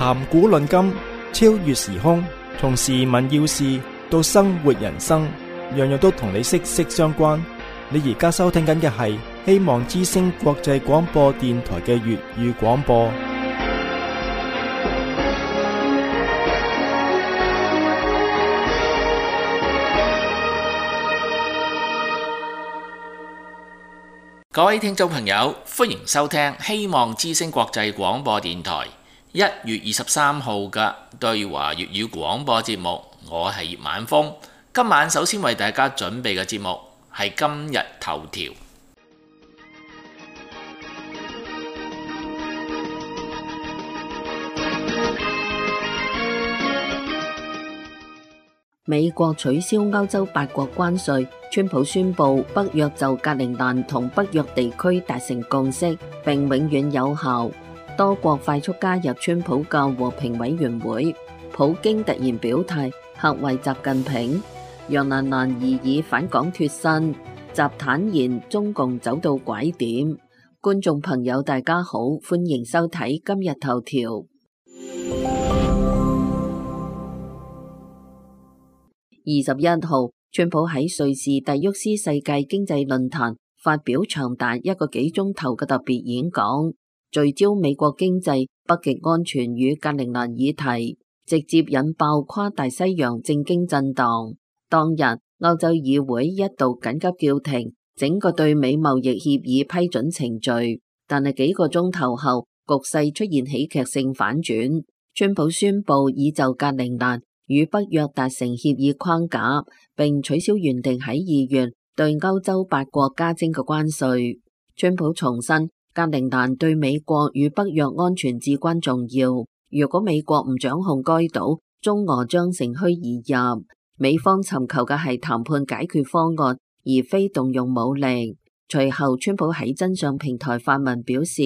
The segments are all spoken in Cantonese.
談古論今，超越時空，從時聞要事到生活人生，樣樣都同你息息相關。你而家收聽緊嘅係希望之聲國際廣播電台嘅粵語廣播。各位聽眾朋友，歡迎收聽希望之聲國際廣播電台1月23號嘅對華粵語廣播節目。我係葉晚風，今晚首先為大家準備嘅節目係今日頭條。美國取消歐洲8國關稅，川普宣布北約就格陵蘭同北約地區達成共識並永遠有效。多國快速加入川普嘅和平委員會。普京突然表態嚇壞習近平。楊蘭蘭擬議返港脫身，習坦言中共走到拐點。觀眾朋友大家好，歡迎收睇今日頭條。21號，川普喺瑞士蒂沃斯世界經濟論壇發表長達1個幾鐘頭嘅特別演講，聚焦美國經濟、北極安全與格陵蘭議題，直接引爆跨大西洋政經震盪。當日，歐洲議會一度緊急叫停整個對美貿易協議批准程序，但係幾個鐘頭後，局勢出現喜劇性反轉，川普宣布已就格陵蘭與北約達成協議框架，並取消原定喺2月對歐洲8國加徵嘅關稅。川普重申，格陵蘭對美國與北約安全至關重要。如果美國唔掌控該島，中俄將乘虛而入。美方尋求嘅係談判解決方案，而非動用武力。隨後，川普喺真相平台發文表示，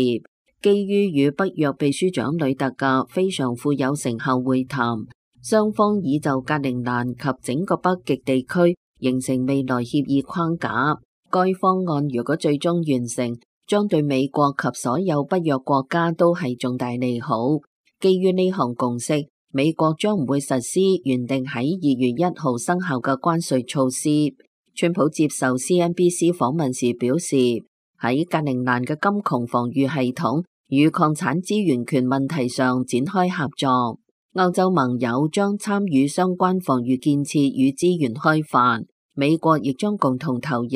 基於與北約秘書長呂特嘅非常富有成效會談，雙方已就格陵蘭及整個北極地區形成未來協議框架。該方案如果最終完成，將對美國及所有北約國家都係重大利好。基於呢項共識，美國將唔會實施原定喺2月1號生效嘅關稅措施。川普接受 CNBC 訪問時表示，喺格陵蘭嘅金窮防禦系統與礦產資源權問題上展開合作。歐洲盟友將參與相關防禦建設與資源開發，美國亦將共同投入。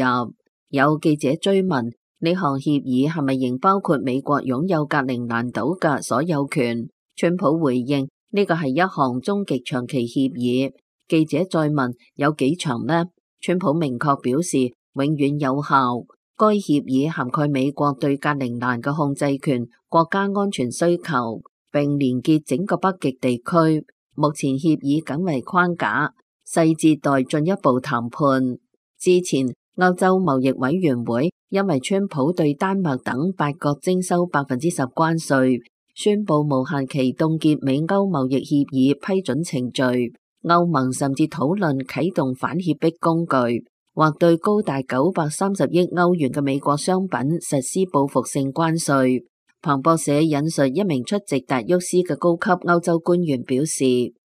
有記者追問呢項協議係咪仍包括美國擁有格陵蘭島嘅所有權？川普回應呢個係一項終極長期協議。記者再問有幾長呢？川普明確表示永遠有效。該協議涵蓋美國對格陵蘭嘅控制權、國家安全需求，並連結整個北極地區。目前協議僅為框架，細節待進一步談判。之前歐洲貿易委員會因為川普對丹麥等8國徵收10%關稅，宣布無限期凍結美歐貿易協議批准程序。歐盟甚至討論啟動反脅迫工具，或對高達930億歐元嘅美國商品實施報復性關稅。彭博社引述一名出席達沃斯嘅高級歐洲官員表示，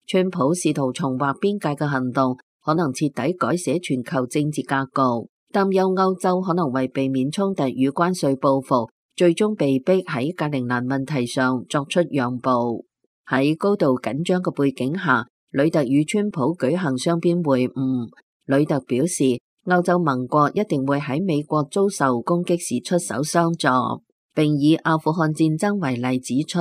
川普試圖重劃邊界嘅行動可能徹底改寫全球政治格局，擔憂歐洲可能為避免衝突與關稅報復，最終被迫喺格陵蘭問題上作出讓步。喺高度緊張嘅背景下，呂特與川普舉行雙邊會晤。呂特表示，歐洲盟國一定會喺美國遭受攻擊時出手相助，並以阿富汗戰爭為例指出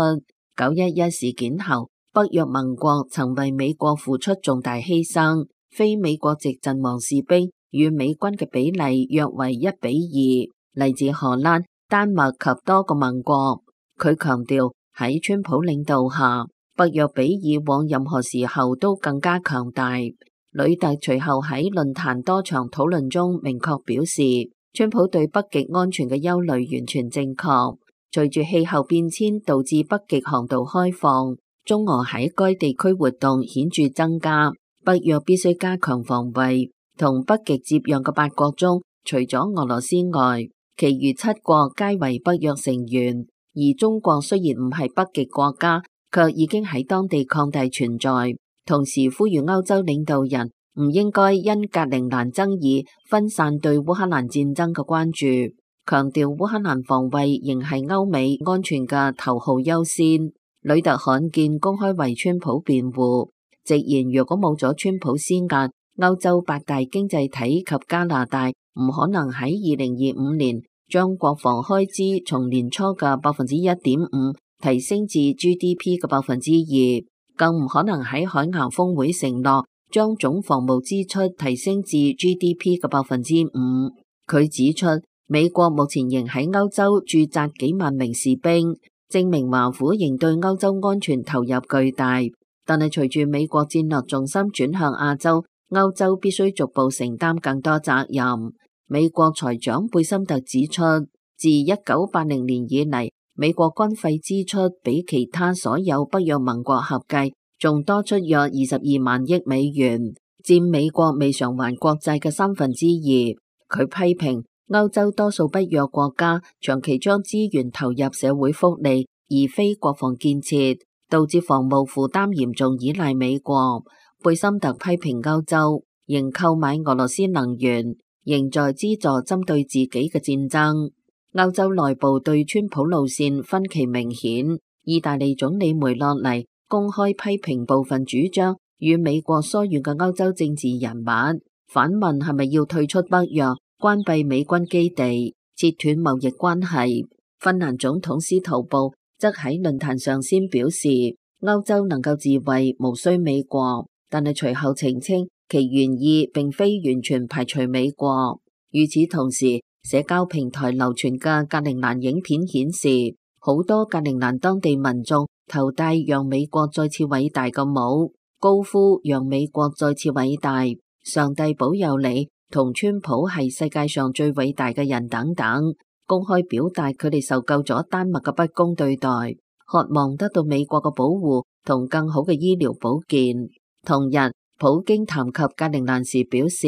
，911事件後，北約盟國曾為美國付出重大犧牲，非美國籍陣亡士兵與美軍嘅比例約為1:2，嚟自荷蘭、丹麥及多個盟國。佢強調喺川普領導下，北約比以往任何時候都更加強大。呂特隨後喺論壇多場討論中明確表示，川普對北極安全嘅憂慮完全正確。隨住氣候變遷導致北極航道開放，中俄喺該地區活動顯著增加，北約必須加強防衛。同北極接壤嘅8國中，除咗俄羅斯外，其餘7國皆為北約成員。而中國雖然唔係北極國家，卻已經喺當地擴大存在。同時呼籲歐洲領導人唔應該因格陵蘭爭議分散對烏克蘭戰爭嘅關注，強調烏克蘭防衛仍係歐美安全嘅頭號優先。呂特罕見公開為川普辯護，直言如果冇咗川普施壓，歐洲八大經濟體及加拿大唔可能喺2025年將國防開支從年初嘅1.5%提升至 GDP 嘅2%，更唔可能喺海牙峰會承諾將總防務支出提升至 GDP 嘅5%。佢指出，美國目前仍喺歐洲駐紮幾萬名士兵，證明華府仍對歐洲安全投入巨大。但係隨住美國戰略重心轉向亞洲，歐洲必須逐步承擔更多責任。美國財長貝森特指出，自1980年以嚟，美國軍費支出比其他所有北約盟國合計仲多出約22萬億美元，佔美國未償還國債嘅2/3。佢批評歐洲多數北約國家長期將資源投入社會福利，而非國防建設，導致防務負擔嚴重依賴美國。貝森特批評歐洲仍購買俄羅斯能源，仍在資助針對自己嘅戰爭。歐洲內部對川普路線分歧明顯，意大利總理梅洛尼公開批評部分主張與美國疏遠嘅歐洲政治人物，反問係咪要退出北約、關閉美軍基地、切斷貿易關係。芬蘭總統司徒布則喺論壇上先表示，歐洲能夠自衛，無需美國，但係隨後澄清其原意並非完全排除美國。與此同時，社交平台流傳嘅格陵蘭影片顯示，好多格陵蘭當地民眾頭戴讓美國再次偉大嘅帽，高呼讓美國再次偉大、上帝保佑你同川普係世界上最偉大嘅人等等，公開表達佢哋受夠咗丹麥嘅不公對待，渴望得到美國嘅保護同更好嘅醫療保健。同日，普京談及格陵蘭時表示，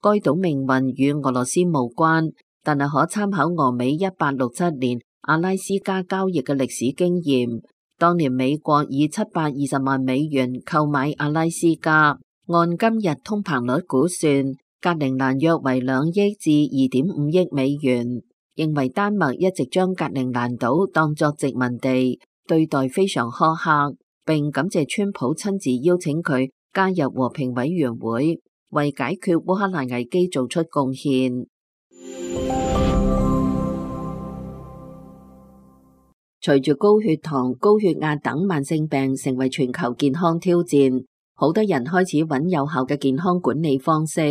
該島命運與俄羅斯無關，但係可參考俄美1867年阿拉斯加交易嘅歷史經驗。當年美國以720萬美元購買阿拉斯加，按今日通膨率估算，格陵蘭約為2億至2.5億美元。認為丹麥一直將格陵蘭島當作殖民地，對待非常苛刻，並感謝川普親自邀請佢加入和平委員會，為解決烏克蘭危機做出貢獻。隨住高血糖、高血壓等慢性病成為全球健康挑戰，好多人開始揾有效嘅健康管理方式。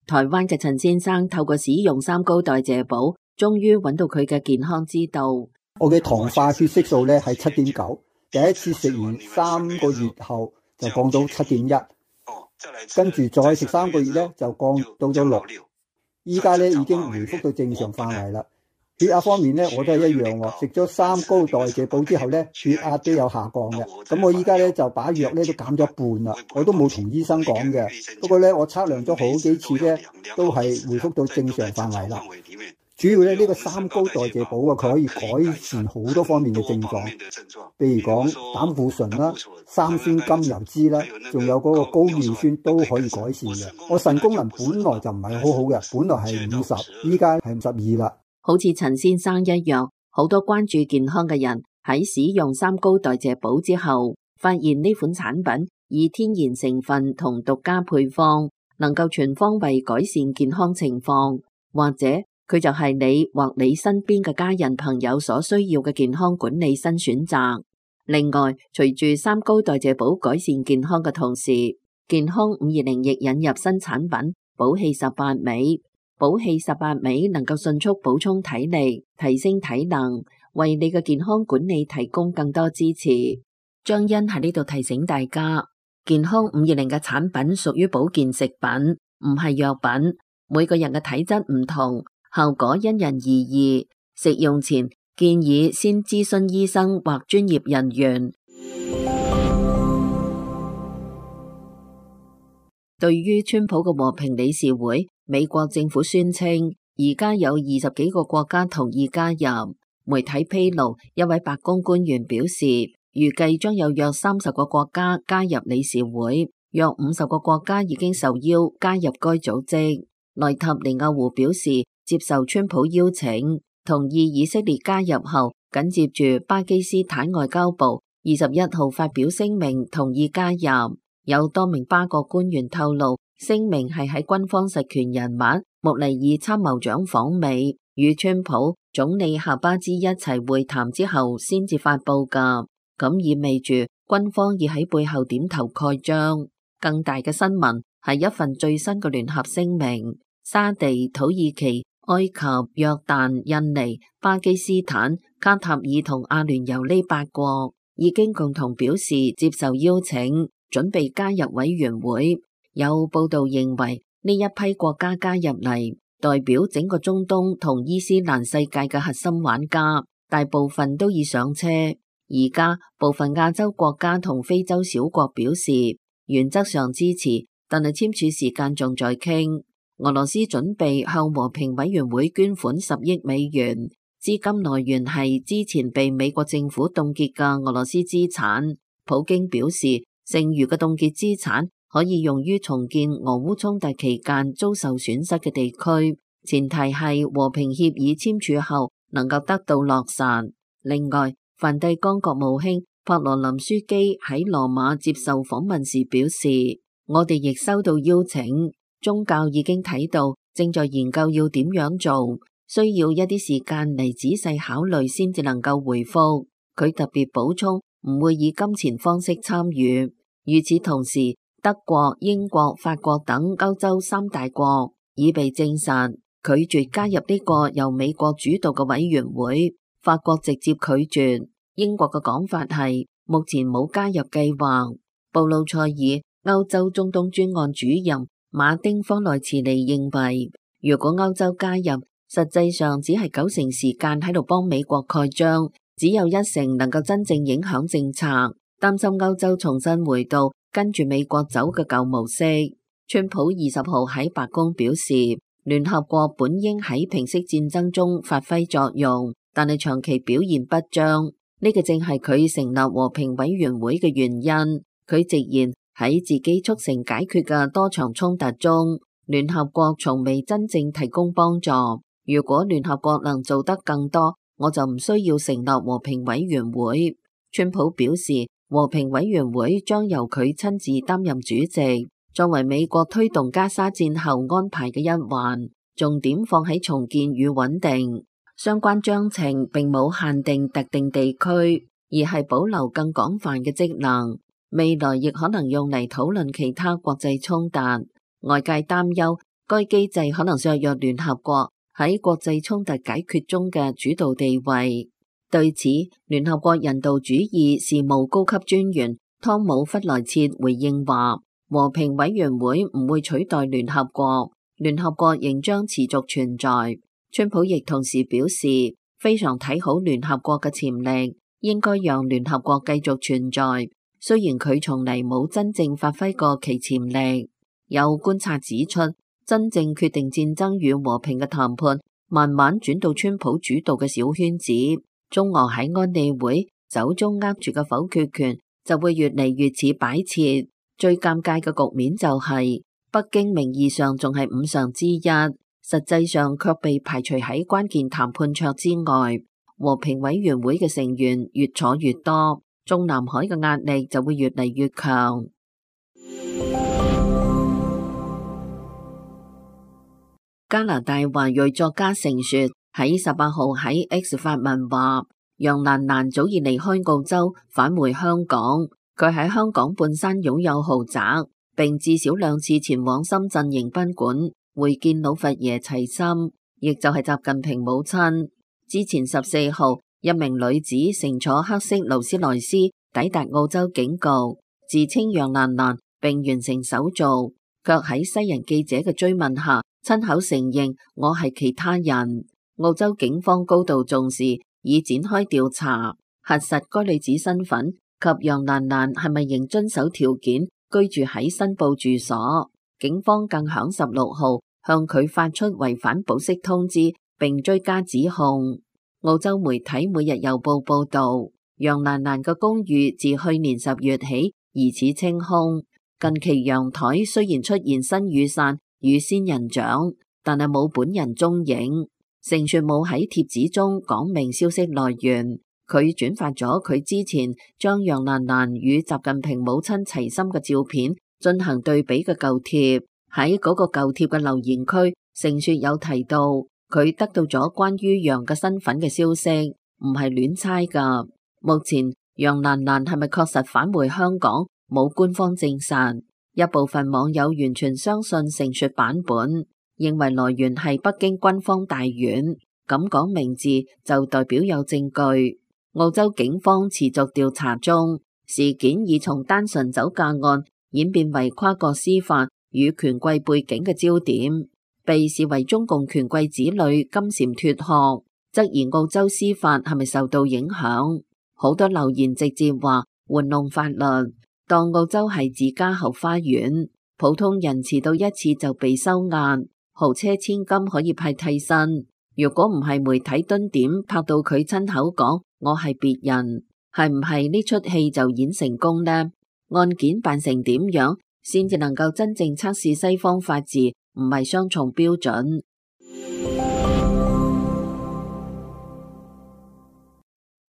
台灣嘅陳先生透過使用三高代謝寶，終於揾到佢嘅健康之道。我嘅糖化血色素咧係7.9，第一次食完3個月後就降到7.1，跟住再食3個月咧就降到咗6，依家咧已經回復到正常範圍啦。血壓方面咧我都係一樣喎，食咗三高代謝寶之後咧血壓都有下降嘅。咁我依家咧就把藥咧都減咗一半啦，我都冇同醫生講嘅。不過咧我測量咗好幾次咧都係回復到正常範圍啦。主要咧呢個三高代謝寶啊，佢可以改善好多方面嘅症狀，譬如講膽固醇啦、三酸甘油酯啦，仲有嗰個高尿酸都可以改善嘅。我腎功能本來就唔係好好嘅，本來係50，依家係52啦。好似陳先生一樣，好多關注健康嘅人喺使用三高代謝寶之後，發現呢款產品以天然成分同獨家配方，能夠全方位改善健康情況，或者佢就係你或你身邊嘅家人朋友所需要嘅健康管理新選擇。另外，隨住三高代謝寶改善健康嘅同時，健康520亦引入新產品寶氣18味。寶氣18味能夠迅速補充體力，提升體能，為你嘅健康管理提供更多支持。張欣喺呢度提醒大家，健康520嘅產品屬於保健食品，唔係藥品。每個人嘅體質唔同，效果因人而異。食用前建議先諮詢醫生或專業人員。對於川普嘅和平理事會，美國政府宣稱而家有20幾個國家同意加入。媒體披露，一位白宮官員表示，預計將有約30個國家加入理事會，約50個國家已經受邀加入該組織。內塔尼亞胡表示接受川普邀請，同意以色列加入後，緊接住巴基斯坦外交部21號發表聲明同意加入。有多名巴國官員透露，聲明係喺軍方實權人物穆尼爾參謀長訪美與川普總理夏巴茲一齊會談之後先至發佈㗎，咁意味住軍方已喺背後點頭蓋章。更大嘅新聞係一份最新嘅聯合聲明，沙地、土耳其、埃及、約旦、印尼、巴基斯坦、卡塔爾同阿聯酋呢8國已經共同表示接受邀請，準備加入委員會。有報道認為呢一批國家加入嚟，代表整個中東同伊斯蘭世界嘅核心玩家，大部分都已上車。而家部分亞洲國家同非洲小國表示原則上支持，但係簽署時間仲在傾。俄羅斯準備向和平委員會捐款10億美元，資金來源係之前被美國政府凍結嘅俄羅斯資產。普京表示，剩餘嘅凍結資產可以用於重建俄烏衝突期間遭受損失嘅地區，前提係和平協議簽署後能夠得到落實。另外，梵蒂岡國務卿帕羅林樞機喺羅馬接受訪問時表示，我哋亦收到邀請，宗教已經睇到，正在研究要點樣做，需要一啲時間嚟仔細考慮先至能夠回覆。佢特別補充，唔會以金錢方式參與。與此同時，德國、英國、法國等歐洲3大國已被證實拒絕加入呢個由美國主導嘅委員會。法國直接拒絕，英國嘅講法係目前冇加入計劃。布魯塞爾歐洲中東專案主任馬丁科內茨尼認為，如果歐洲加入，實際上只係90%時間喺度幫美國蓋章，只有1%能夠真正影響政策。擔心歐洲重新回到跟住美國走嘅舊模式。川普20號喺白宮表示，聯合國本應喺平息戰爭中發揮作用，但係長期表現不彰，呢個正係佢成立和平委員會嘅原因。佢直言喺自己促成解決嘅多場衝突中，聯合國從未真正提供幫助。如果聯合國能做得更多，我就唔需要成立和平委員會。川普表示，和平委員會將由佢親自擔任主席，作為美國推動加沙戰後安排嘅一環，重點放喺重建與穩定。相關章程並冇限定特定地區，而係保留更廣泛嘅職能。未來亦可能用嚟討論其他國際衝突。外界擔憂該機制可能削弱聯合國喺國際衝突解決中嘅主導地位。對此，聯合國人道主義事務高級專員湯姆弗萊切回應話，和平委員會唔會取代聯合國，聯合國仍將持續存在。川普亦同時表示，非常睇好聯合國嘅潛力，應該讓聯合國繼續存在。雖然佢從嚟冇真正發揮過其潛力。有觀察指出，真正決定戰爭與和平嘅談判慢慢轉到川普主導嘅小圈子。中俄喺安理會手中握住嘅否決權就會越嚟越似擺設。最尷尬嘅局面就係北京名義上仲係5常之一，實際上卻被排除喺關鍵談判桌之外。和平委員會嘅成員越坐越多，中南海嘅壓力就會越嚟越強。加拿大華裔作家盛雪喺18號喺 X 發文話，楊蘭蘭早已離開澳洲返回香港，佢喺香港半山擁有豪宅，並至少2次前往深圳迎賓館會見老佛爺齊心，亦就係習近平母親。之前14號，一名女子乘坐黑色勞斯萊斯抵達澳洲警局，自稱楊蘭蘭並完成手續，卻喺西人記者嘅追問下親口承認我係其他人。澳洲警方高度重視，已展開調查，核實該女子身份及楊蘭蘭係咪仍遵守條件居住喺申報住所。警方更響16號向佢發出違反保釋通知，並追加指控。澳洲媒體每日郵報報道，楊蘭蘭嘅公寓自去年10月起疑似清空。近期陽台雖然出現新雨傘與仙人掌，但係冇本人蹤影。盛雪冇喺帖子中講明消息來源，佢轉發咗佢之前將楊蘭蘭與習近平母親齊心嘅照片進行對比嘅舊貼。喺嗰個舊貼嘅留言區，盛雪有提到佢得到咗關於楊嘅身份嘅消息，唔係亂猜㗎。目前楊蘭蘭係咪確實返回香港，冇官方證實。一部分網友完全相信盛雪版本，認為來源係北京軍方大院，咁講名字就代表有證據。澳洲警方持續調查中，事件已從單純酒駕案演變為跨國司法與權貴背景嘅焦點，被視為中共權貴子女金蟬脫殼，質疑澳洲司法係咪受到影響。好多留言直接話玩弄法律，當澳洲係自家後花園，普通人遲到一次就被收押，豪車千金可以派替身。如果唔係媒體蹲點拍到佢親口講我係別人，係唔係呢出戲就演成功呢？案件辦成點樣先至能夠真正測試西方法治唔係雙重標準。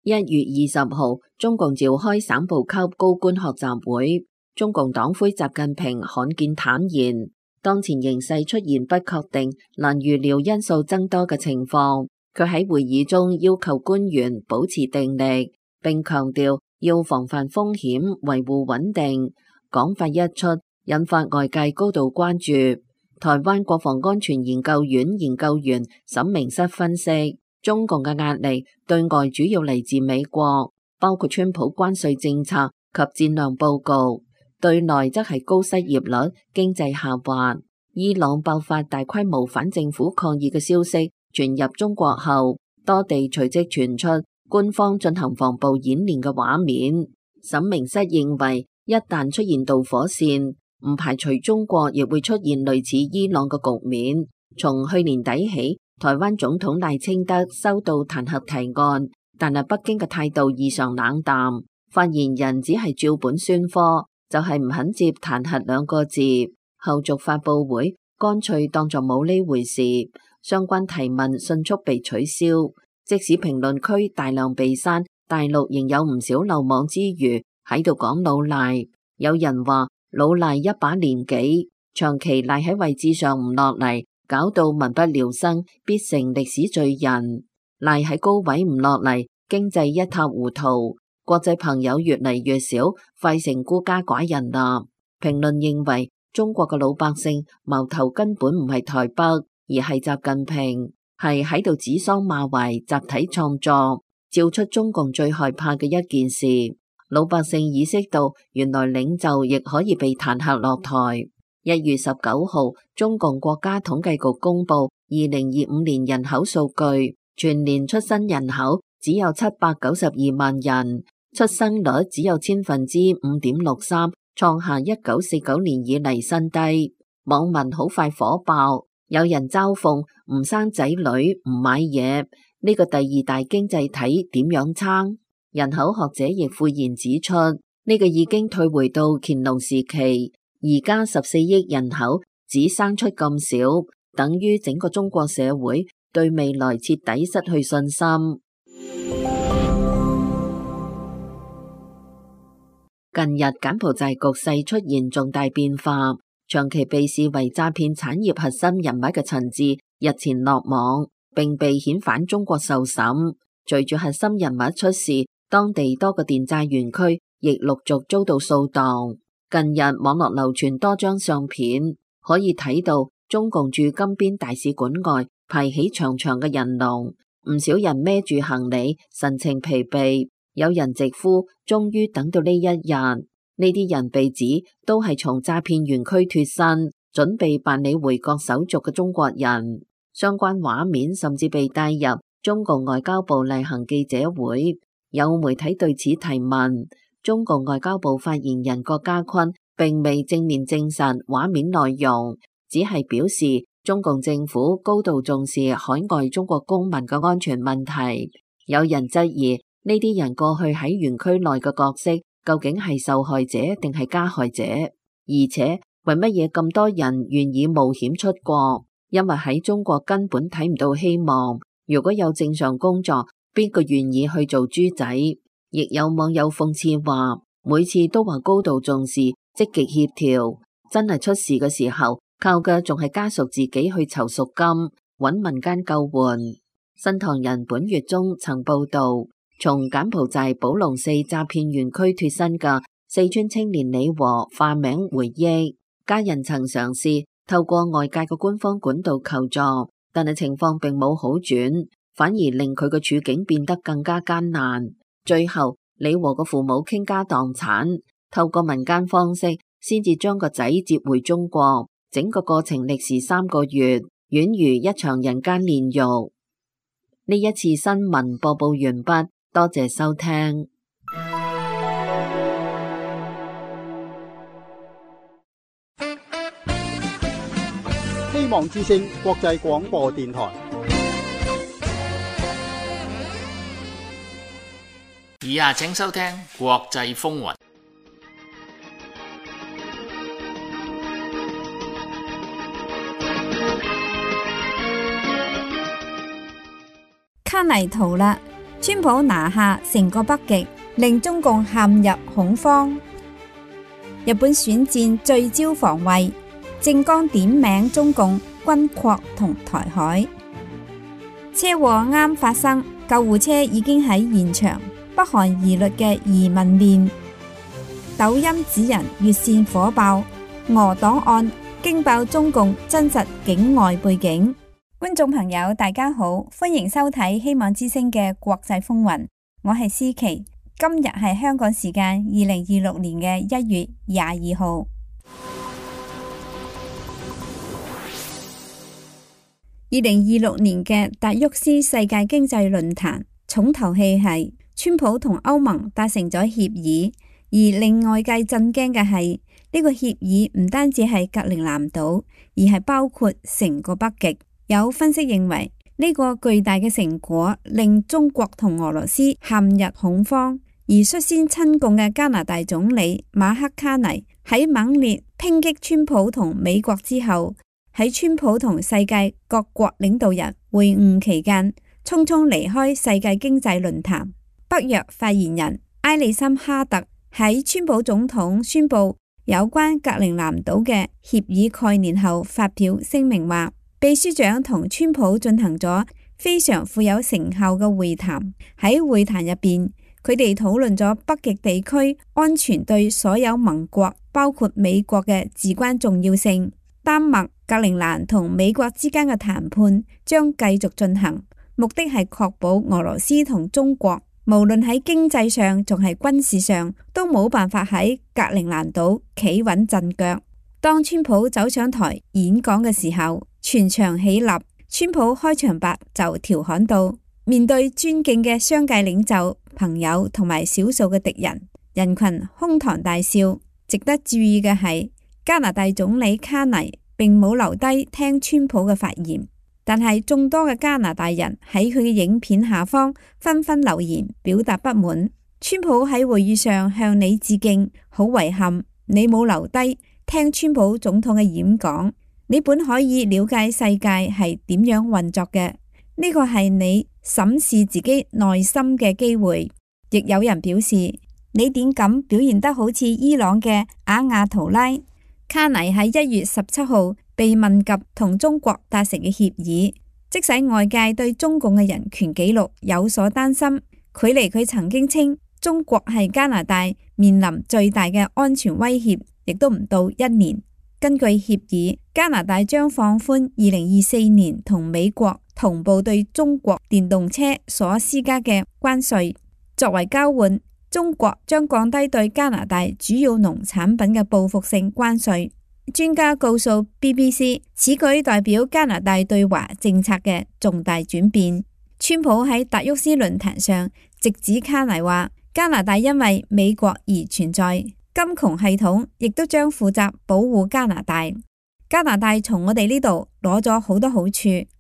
1月20號，中共召開省部級高官學習會，中共黨魁習近平罕見坦言，當前形勢出現不確定、難預料因素增多嘅情況。佢喺會議中要求官員保持定力，並強調要防範風險、維護穩定。講法一出，引發外界高度關注。台灣國防安全研究院研究員沈明室分析，中共嘅壓力對外主要嚟自美國，包括川普關稅政策及戰略佈局；對內則係高失業率、經濟下滑。伊朗爆發大規模反政府抗議嘅消息傳入中國後，多地隨即傳出官方進行防暴演練嘅畫面。沈明室認為，一旦出現導火線，唔排除中國亦會出現類似伊朗嘅局面。從去年底起，台灣總統賴清德收到彈劾提案，但係北京嘅態度異常冷淡，發言人只係照本宣科，就係唔肯接彈劾2個字。後續發佈會乾脆當作冇呢回事，相關提問迅速被取消。即使評論區大量被刪，大陸仍有唔少漏網之魚喺度講老賴。有人話老賴一把年紀，長期賴喺位置上唔落嚟，搞到民不聊生，必成歷史罪人。賴喺高位唔落嚟，經濟一塌糊塗，國際朋友越嚟越少，快成孤家寡人啦。評論認為，中國嘅老百姓矛頭根本唔係台北，而係習近平，係喺度指桑罵槐，集體創作，照出中共最害怕嘅一件事。老百姓意識到，原來領袖亦可以被彈劾落台。1月19號，中共國家統計局公布2025年人口數據，全年出生人口只有792萬人，出生率只有5.63%，創下1949年以嚟新低。網民好快火爆，有人嘲諷唔生仔女唔買嘢，呢個第2大經濟體點樣撐？人口學者亦悔然指出，呢個已經退回到乾隆時期，而家14億人口只生出咁少，等於整個中國社會對未來徹底失去信心。近日柬埔寨局勢出現重大變化，長期被視為詐騙產業核心人物嘅陳志日前落網，並被遣返中國受審。隨住核心人物出事，當地多個電債園區亦陸續遭到掃蕩。近日網絡流傳多張相片，可以睇到中共駐金邊大使館外排起長長嘅人龍，唔少人孭住行李，神情疲憊。有人直呼終於等到呢一日。呢啲人被指都係從詐騙園區脫身，準備辦理回國手續嘅中國人。相關畫面甚至被帶入中共外交部例行記者會。有媒體對此提問，中共外交部發言人郭家坤並未正面證實畫面內容，只係表示中共政府高度重視海外中國公民嘅安全問題。有人質疑呢啲人過去喺園區內嘅角色究竟係受害者定係加害者？而且為乜嘢咁多人願意冒險出國？因為喺中國根本睇唔到希望。如果有正常工作，邊個願意去做豬仔？亦有網友諷刺話，每次都話高度重視、積極協調，真係出事嘅時候，靠嘅仲係家屬自己去籌贖金，揾民間救援。新唐人本月中曾報道，從柬埔寨寶龍寺詐騙園區脫身嘅四川青年李和化名回憶，家人曾嘗試透過外界嘅官方管道求助，但係情況並冇好轉，反而令佢嘅處境變得更加艱難。最後，李和嘅父母傾家蕩產，透過民間方式先至將個仔接回中國。整個過程歷時3個月，宛如一場人間煉獄。呢一次新聞播報完畢，多謝收聽。希望之聲國際廣播電台。以下請收聽國際風雲。卡尼逃啦！川普拿下成個北極，令中共陷入恐慌。日本選戰聚焦防衛，政綱點名中共軍擴同台海。車禍啱發生，救護車已經喺現場。北韓疑慮嘅移民鏈，抖音指人越線火爆，俄檔案驚爆中共真實境外背景。觀眾朋友大家好，歡迎收睇希望之聲嘅國際風雲，我係思琪。今日係香港時間2026年嘅1月22號。2026年嘅達沃斯世界經濟論壇重頭戲係川普同歐盟達成咗協議，而令外界震驚嘅係呢個協議唔單止係格陵蘭島，而係包括成個北極。有分析認為呢個巨大嘅成果令中國同俄羅斯陷入恐慌，而率先親共嘅加拿大總理馬克卡尼喺猛烈抨擊川普同美國之後，喺川普同世界各國領導人會晤期間匆匆離開世界經濟論壇。北約發言人埃里森哈特喺川普總統宣布有關格陵蘭島嘅協議概念後發表聲明話，秘書長同川普進行咗非常富有成效嘅會談。喺會談入邊，佢哋討論咗北極地區安全對所有盟國包括美國嘅至關重要性。丹麥、格陵蘭同美國之間嘅談判將繼續進行，目的係確保俄羅斯同中國無論喺經濟上仲係軍事上都冇辦法喺格陵蘭島企穩陣腳。當川普走上台演講嘅時候，全場起立。川普開場白就調侃道：面對尊敬嘅商界領袖、朋友同埋少數嘅敵人，人群哄堂大笑。值得注意嘅係，加拿大總理卡尼並冇留低聽川普嘅發言。但係眾多嘅加拿大人喺佢嘅影片下方紛紛留言表達不滿。川普喺會議上向你致敬，好遺憾你冇留低聽川普總統嘅演講。你本可以了解世界係點樣運作嘅，呢個係你審視自己內心嘅機會。亦有人表示，你點咁表現得好似伊朗嘅阿亞圖拉。卡尼喺1月17號被問及同中國達成嘅協議，即使外界對中共嘅人權紀錄有所擔心，距離佢曾經稱中國係加拿大面臨最大嘅安全威脅，亦都唔到1年。根據協議，加拿大將放寬2024年同美國同步對中國電動車所施加嘅關稅。作為交換，中國將降低對加拿大主要農產品嘅報復性關稅。專家告訴 BBC， 此舉代表加拿大對華政策嘅重大轉變。川普喺達沃斯論壇上直指卡尼話，加拿大因為美國而存在，金窮系統亦都將負責保護加拿大。加拿大從我哋呢度攞咗好多好處，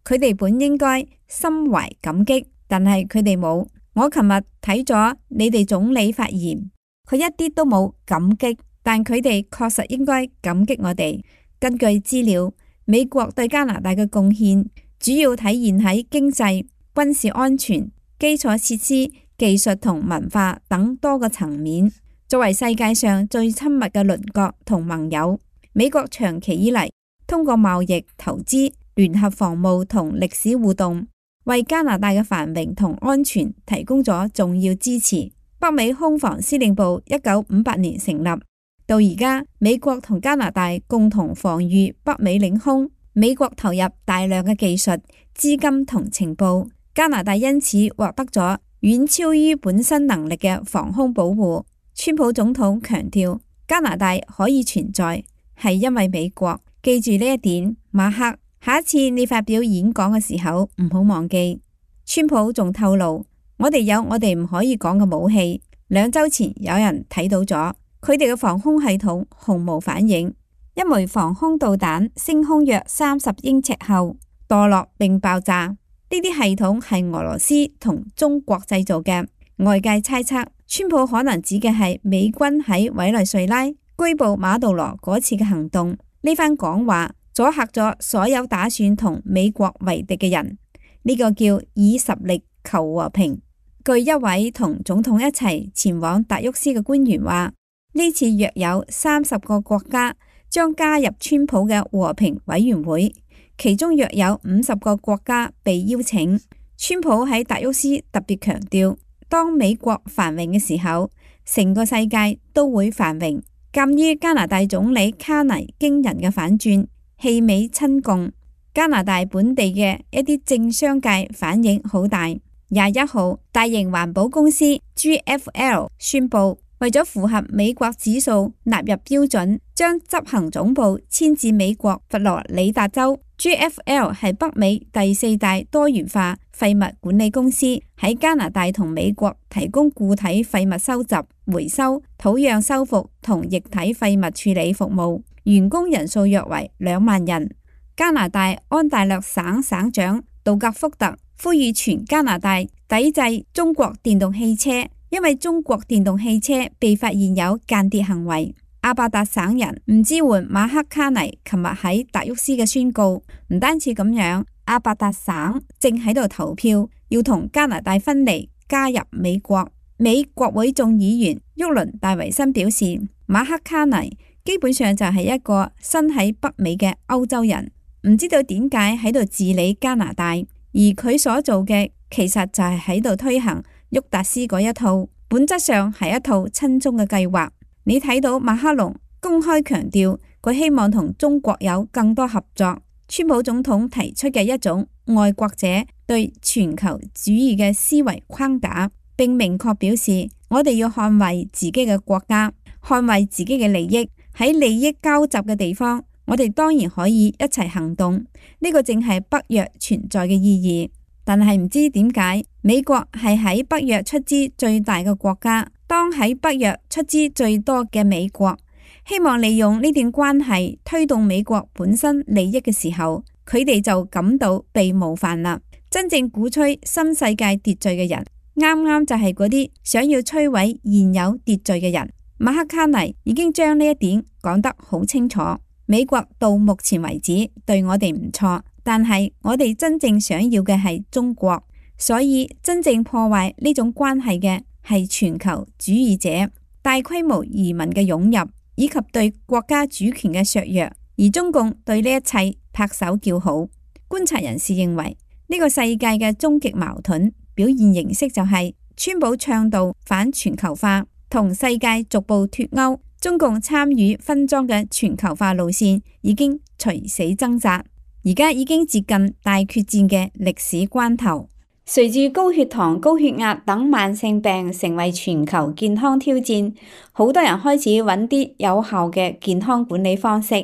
佢哋本應該心懷感激，但係佢哋冇。我琴日睇咗你哋總理發言，佢一啲都冇感激，但佢哋確實應該感激我哋。根據資料，美國對加拿大嘅貢獻主要體現喺經濟、軍事安全、基礎設施、技術同文化等多個層面。作為世界上最親密嘅鄰國同盟友，美國長期以嚟通過貿易、投資、聯合防務同歷史互動，為加拿大嘅繁榮同安全提供咗重要支持。北美空防司令部1958年成立，到而家美國同加拿大共同防禦北美領空。美國投入大量嘅技術、資金同情報，加拿大因此獲得咗遠超於本身能力嘅防空保護。川普總統強調，加拿大可以存在係因為美國。記住呢一點，馬克，下一次你發表演講嘅時候唔好忘記。川普仲透露，我哋有我哋唔可以講嘅武器。2週前有人睇到咗，佢哋嘅防空系統毫無反應。一枚防空導彈升空約30英尺後墮落並爆炸，呢啲系統係俄羅斯同中國製造嘅。外界猜測，川普可能指嘅係美軍喺委內瑞拉拘捕馬杜羅嗰次嘅行動。呢番講話阻嚇咗所有打算同美國為敵嘅人，呢個叫以實力求和平。據一位同總統一齊前往達沃斯嘅官員話，呢次約有30個國家將加入川普嘅和平委員會，其中約有50個國家被邀請。川普喺達沃斯特別強調，當美國繁榮嘅時候，成個世界都會繁榮。鑒於加拿大總理卡尼驚人嘅反轉，棄美親共，加拿大本地嘅一啲政商界反應好大。21號，大型環保公司 GFL 宣布，為咗符合美國指數納入標準，將執行總部遷至美國佛羅里達州。GFL 係北美第4大多元化廢物管理公司，喺加拿大同美國提供固體廢物收集、回收、土壤修復同液體廢物處理服務，員工人數約為2萬人。加拿大安大略省省長杜格福特呼籲全加拿大抵制中國電動汽車，因為中國電動汽車被發現有間諜行為。阿伯達省人唔支援馬克卡尼琴日喺達沃斯嘅宣告，唔單止咁樣，阿伯達省正喺度投票要同加拿大分離，加入美國。美國會眾議員沃倫戴維森表示，馬克卡尼基本上就係一個身喺北美嘅歐洲人，唔知道點解喺度治理加拿大，而佢所做嘅其實就係喺度推行沃達斯嗰一套，本質上係一套親中嘅計劃。你睇到馬克龍公開強調佢希望同中國有更多合作，川普總統提出嘅一種愛國者對全球主義嘅思維框架，並明確表示我哋要捍衛自己嘅國家，捍衛自己嘅利益。喺利益交集嘅地方，我哋當然可以一齊行動，呢個正係北約存在嘅意義。但係唔知點解美國係喺北約出資最大嘅國家，當喺北約出資最多嘅美國希望利用呢段關係推動美國本身利益嘅時候，佢哋就感到被冒犯啦。真正鼓吹新世界秩序嘅人，啱啱就係嗰啲想要摧毀現有秩序嘅人。馬克卡尼已經將呢一點講得好清楚。美國到目前為止對我哋唔錯，但係我哋真正想要嘅係中國，所以真正破壞呢種關係嘅係全球主義者、大規模移民嘅湧入，以及對國家主權嘅削弱，而中共對呢一切拍手叫好。觀察人士認為，呢個世界嘅終極矛盾表現形式就係川普倡導反全球化，同世界逐步脫鈎。中共參與分贓嘅全球化路線已經垂死掙扎，而家已經接近大決戰嘅歷史關頭。隨住高血糖、高血壓等慢性病成為全球健康挑戰，好多人開始揾啲有效嘅健康管理方式。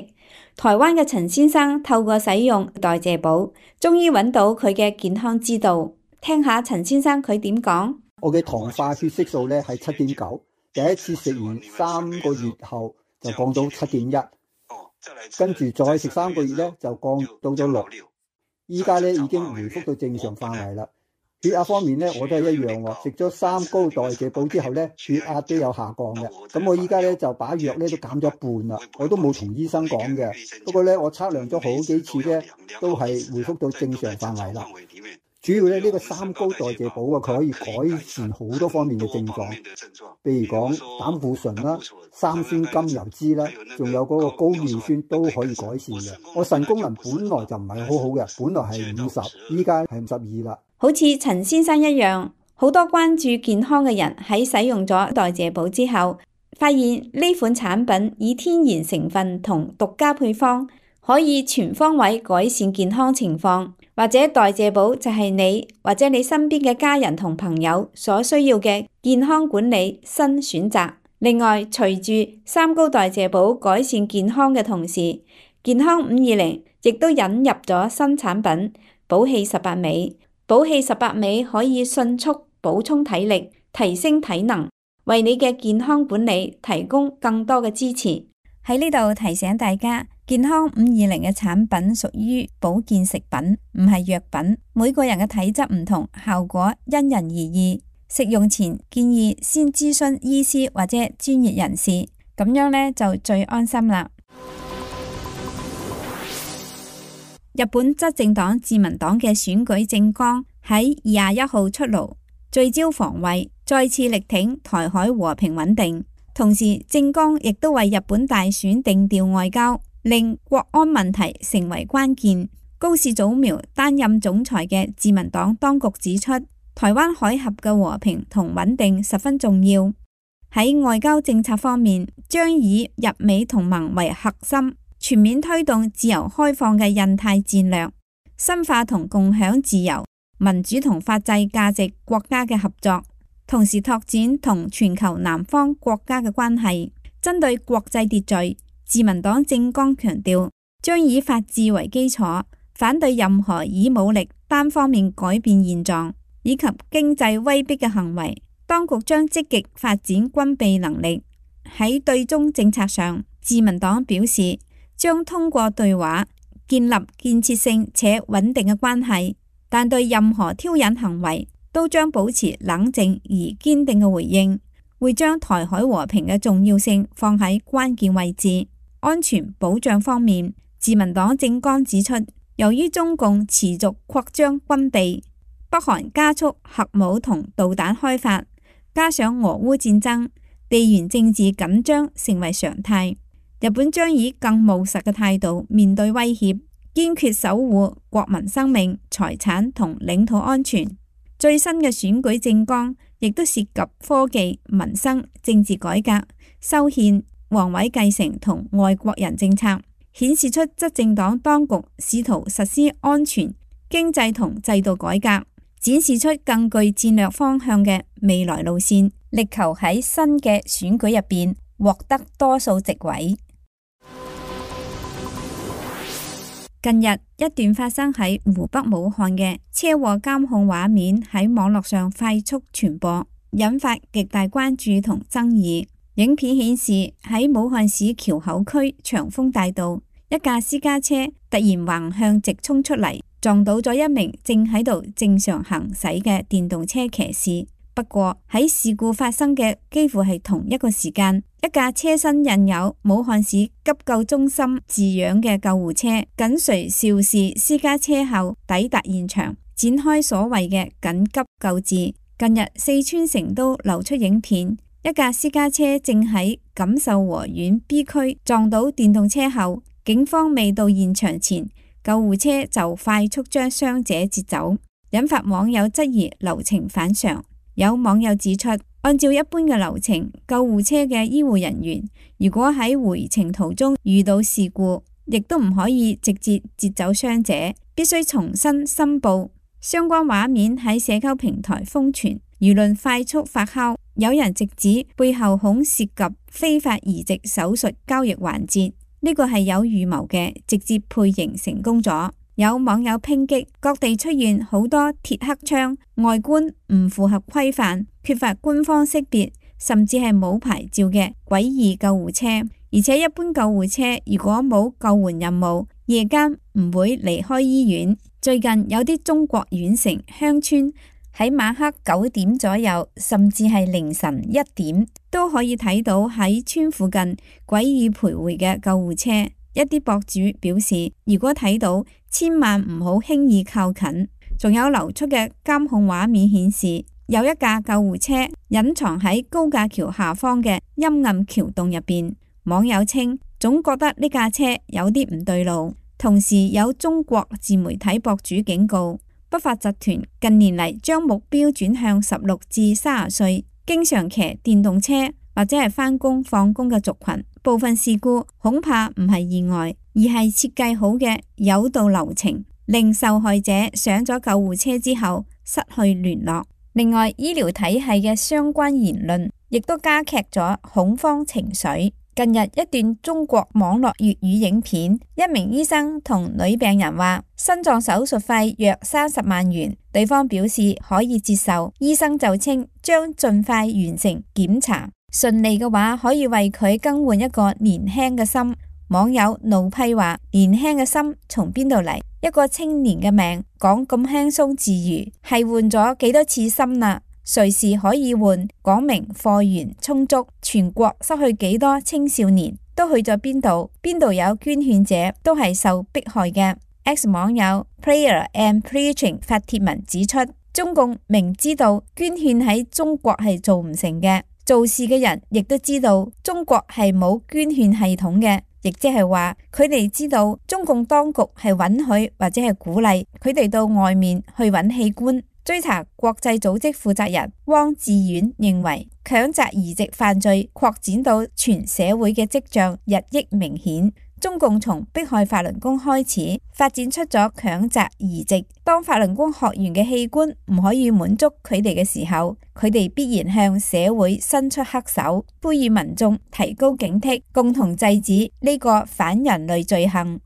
台灣嘅陳先生透過使用代謝寶，終於揾到佢嘅健康之道。聽下陳先生佢點講。我嘅糖化血色素咧係7.9，第一次食完3個月後就降到7.1，跟住再食3個月咧就降到咗6，依家咧已經回復到正常範圍啦。血壓方面咧，我都係一樣喎。食咗3高代謝寶之後咧，血壓都有下降嘅。咁我依家咧就把藥咧都減咗一半啦，我都冇同醫生講嘅。不過咧，我測量咗好幾次咧，都係回復到正常範圍啦。主要咧呢個3高代謝寶啊，佢可以改善好多方面嘅症狀，譬如講膽固醇啦、三酸甘油酯啦，仲有嗰個高尿酸都可以改善嘅。我腎功能本來就唔係好好嘅，本來係50，依家係52啦。好似陳先生一樣，好多關注健康嘅人喺使用咗代謝寶之後，發現呢款產品以天然成分同獨家配方，可以全方位改善健康情況。或者代謝寶就係你或者你身邊嘅家人同朋友所需要嘅健康管理新選擇。另外，隨住3高代謝寶改善健康嘅同時，健康520亦都引入咗新產品寶氣18味。寶氣18味可以迅速補充體力，提升體能，為你嘅健康管理提供更多嘅支持。喺呢度提醒大家，健康520嘅產品屬於保健食品，唔係藥品。每個人嘅體質唔同，效果因人而異。食用前建議先諮詢醫師或者專業人士，咁樣呢就最安心啦。日本執政黨自民黨嘅選舉政綱喺21號出爐，聚焦防衛，再次力挺台海和平穩定。同時，政綱亦都為日本大選定調外交，令國安問題成為關鍵。高市早苗擔任總裁嘅自民黨當局指出，台灣海峽嘅和平同穩定十分重要。喺外交政策方面，將以日美同盟為核心，全面推動自由開放嘅印太戰略，深化同共享自由、民主同法治價值國家嘅合作。同時拓展同全球南方國家嘅關係。針對國際秩序，自民黨政綱強調將以法治為基礎，反對任何以武力單方面改變現狀以及經濟威逼嘅行為。當局將積極發展軍備能力。喺對中政策上，自民黨表示將通過對話建立建設性且穩定嘅關係，但對任何挑釁行為都將保持冷靜而堅定嘅回應，會將台海和平嘅重要性放喺關鍵位置。安全保障方面，自民黨政綱指出，由於中共持續擴張軍備，北韓加速核武同導彈開發，加上俄烏戰爭，地緣政治緊張成為常態。日本將以更務實嘅態度面對威脅，堅決守護國民生命、財產同領土安全。最新嘅選舉政綱亦都涉及科技、民生、政治改革、修憲、皇位繼承同外國人政策，顯示出執政黨當局試圖實施安全、經濟同制度改革，展示出更具戰略方向嘅未來路線，力求喺新嘅選舉入邊獲得多數席位。近日，一段發生喺湖北武漢嘅車禍監控畫面喺網絡上快速傳播，引發極大關注同爭議。影片顯示喺武漢市橋口區長豐大道，一架私家車突然橫向直衝出嚟，撞到咗一名正喺度正常行駛嘅電動車騎士。不過喺事故發生嘅幾乎係同一個時間，一架車身印有武漢市急救中心字樣嘅救護車緊隨肇事私家車後抵達現場，展開所謂嘅緊急救治。近日四川成都流出影片，一架私家車正喺錦繡河縣 B 區撞到電動車後，警方未到現場前，救護車就快速將傷者截走，引發網友質疑流程反常。有網友指出，按照一般嘅流程，救護車嘅醫護人員如果喺回程途中遇到事故，亦都唔可以直接截走傷者，必須重新申報。相關畫面喺社交平台瘋傳，輿論快速發酵，有人直指背後恐涉及非法移植手術交易環節，呢個係有預謀嘅，直接配型成功咗。有網友抨擊各地出現好多鐵黑槍，外觀唔符合規範，缺乏官方識別，甚至係冇牌照嘅詭異救護車。而且一般救護車如果冇救援任務，夜間唔會離開醫院。最近有啲中國縣城鄉村喺晚黑9點左右，甚至係凌晨1點，都可以睇到喺村附近詭異徘徊嘅救護車。一啲博主表示，如果睇到，千萬唔好輕易靠近。仲有流出嘅監控畫面顯示，有一架救護車隱藏喺高架橋下方嘅陰暗橋洞入邊。網友稱，總覺得呢架車有啲唔對路。同時有中國自媒體博主警告，不法集團近年嚟將目標轉向16至30歲，經常騎電動車或者係返工放工嘅族群。部分事故恐怕唔係意外，而係設計好嘅誘導流程，令受害者上咗救護車之後失去聯絡。另外，醫療體系嘅相關言論亦都加劇咗恐慌情緒。近日一段中國網絡粵語影片，一名醫生同女病人話心臟手術費約30萬元，對方表示可以接受，醫生就稱將盡快完成檢查，順利嘅話可以為佢更換一個年輕嘅心。網友怒批話，年輕嘅心從邊度嚟？一個青年嘅命講咁輕鬆自如，係換咗幾多次心啦？隨時可以換，講明貨源充足，全國失去幾多青少年，都去咗邊度？邊度有捐獻者，都係受迫害嘅。X 網友 Prayer and Preaching 發帖文指出，中共明知道捐獻喺中國係做唔成嘅，做事嘅人亦都知道中國係冇捐獻系統嘅，亦即係話佢哋知道中共當局係允許或者係鼓勵佢哋到外面去揾器官。追查國際組織負責人汪志遠認為，強摘移植犯罪擴展到全社會嘅跡象日益明顯。中共從迫害法輪功開始，發展出咗強摘移植。當法輪功學員嘅器官唔可以滿足佢哋嘅時候，佢哋必然向社會伸出黑手，呼籲民眾提高警惕，共同制止呢個反人類罪行。